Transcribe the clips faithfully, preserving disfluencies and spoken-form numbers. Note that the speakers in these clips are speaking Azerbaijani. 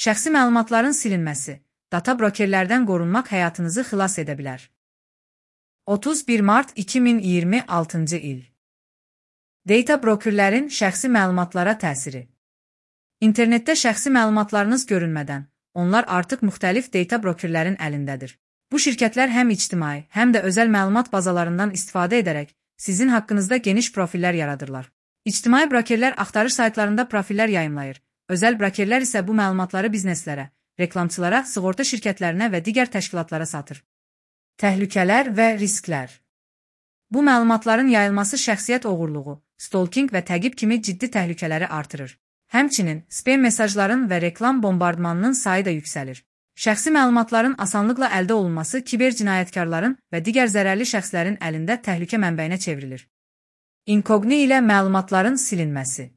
Şəxsi məlumatların silinməsi, data brokerlərdən qorunmaq həyatınızı xilas edə bilər. otuz bir mart iki min iyirmi altıncı il. Data brokerlərin şəxsi məlumatlara təsiri. İnternetdə şəxsi məlumatlarınız görünmədən, onlar artıq müxtəlif data brokerlərin əlindədir. Bu şirkətlər həm ictimai, həm də özəl məlumat bazalarından istifadə edərək sizin haqqınızda geniş profillər yaradırlar. İctimai brokerlər axtarış saytlarında profillər yayımlayır. Özəl brokerlər isə bu məlumatları bizneslərə, reklamçılara, sığorta şirkətlərinə və digər təşkilatlara satır. Təhlükələr və risklər. Bu məlumatların yayılması şəxsiyyət oğurluğu, stalking və təqib kimi ciddi təhlükələri artırır. Həmçinin, spam mesajların və reklam bombardmanının sayı da yüksəlir. Şəxsi məlumatların asanlıqla əldə olunması kiber cinayətkarların və digər zərərli şəxslərin əlində təhlükə mənbəyinə çevrilir. Inkogni ilə məlumatların silinməsi.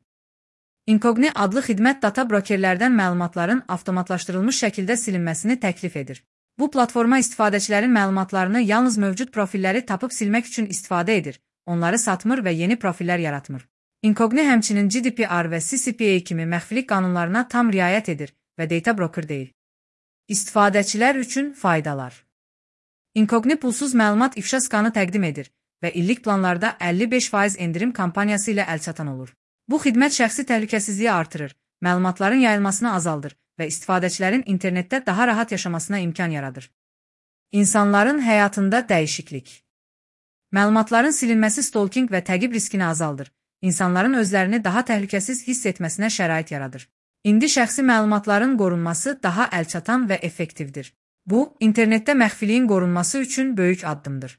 Inkogni adlı xidmət data brokerlərdən məlumatların avtomatlaşdırılmış şəkildə silinməsini təklif edir. Bu platforma istifadəçilərin məlumatlarını yalnız mövcud profilləri tapıb silmək üçün istifadə edir, onları satmır və yeni profillər yaratmır. Inkogni həmçinin G D P R və C C P A kimi məxfilik qanunlarına tam riayət edir və data broker deyil. İstifadəçilər üçün faydalar. Inkogni pulsuz məlumat ifşa skanı təqdim edir və illik planlarda əlli beş faiz endirim kampaniyası ilə əlçatan olur. Bu xidmət şəxsi təhlükəsizliyi artırır, məlumatların yayılmasını azaldır və istifadəçilərin internetdə daha rahat yaşamasına imkan yaradır. İnsanların həyatında dəyişiklik. Məlumatların silinməsi stalking və təqib riskini azaldır. İnsanların özlərini daha təhlükəsiz hiss etməsinə şərait yaradır. İndi şəxsi məlumatların qorunması daha əlçatan və effektivdir. Bu, internetdə məxfiliyin qorunması üçün böyük addımdır.